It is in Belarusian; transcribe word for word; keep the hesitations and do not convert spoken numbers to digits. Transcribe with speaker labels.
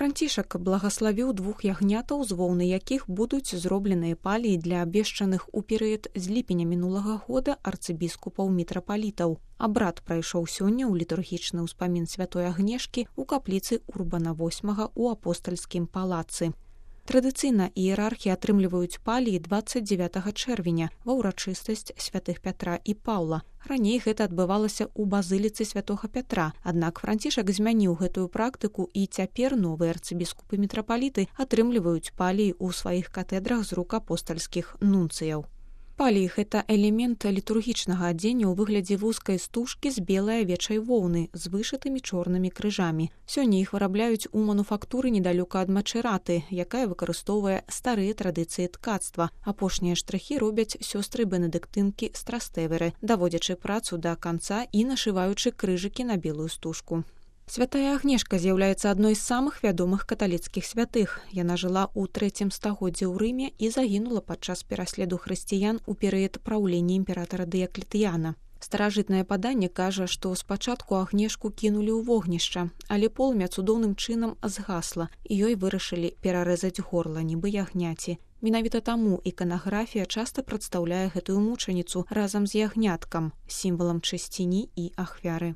Speaker 1: Францішак благаславіў двух ягнятаў, з воўны якіх будуць зробленыя паліі для абвешчаных у перыяд з ліпеня мінулага года арцыбіскупаў-мітрапалітаў. Абрад прайшоў сёння ў літургічны ўспамін святой Агнешкі ў капліцы Урбана восьмага ў апостальскім палацы. Традыцыйна іерархі атрымліваюць паліі дваццаць дзевятага чэрвеня ва ўрачыстасць святых Пятра і Паўла. Раней гэта адбывалася ў базыліцы святога Пятра, аднак Францішак змяніў гэтую практыку і цяпер новыя арцыбіскупы-мітрапаліты атрымліваюць паліі ў сваіх катэдрах з рук апостальскіх нунцыяў. Паліі – гэта элемент літургічнага адзення ў выглядзе вузкай стужкі з белай авечай воўны з вышытымі чорнымі крыжамі. Сёння іх вырабляюць у мануфактуры недалёка ад Мачэраты, якая выкарыстоўвае старыя традыцыі ткацтва. Апошнія штрыхі робяць сёстры бенедыктынкі з Трастэверы, даводзячы працу да канца і нашываючы крыжыкі на белую стужку. Святая Агнешка з'яўляецца адной з самых вядомых каталіцкіх святых. Яна жыла ў трэцім стагоддзі ў Рыме і загінула падчас пераследу хрысціян у перыяд праўлення імператара Дыяклетыяна. Старажытнае паданне кажа, што спачатку Агнешку кінулі ў вогнішча, але полымя цудоўным чынам згасла, і ёй вырашылі перарэзаць горла, нібы ягняці. Менавіта таму іканаграфія часта прадстаўляе гэтую мучаніцу разам з ягняткам, сімвалам чысціні і ахвяры.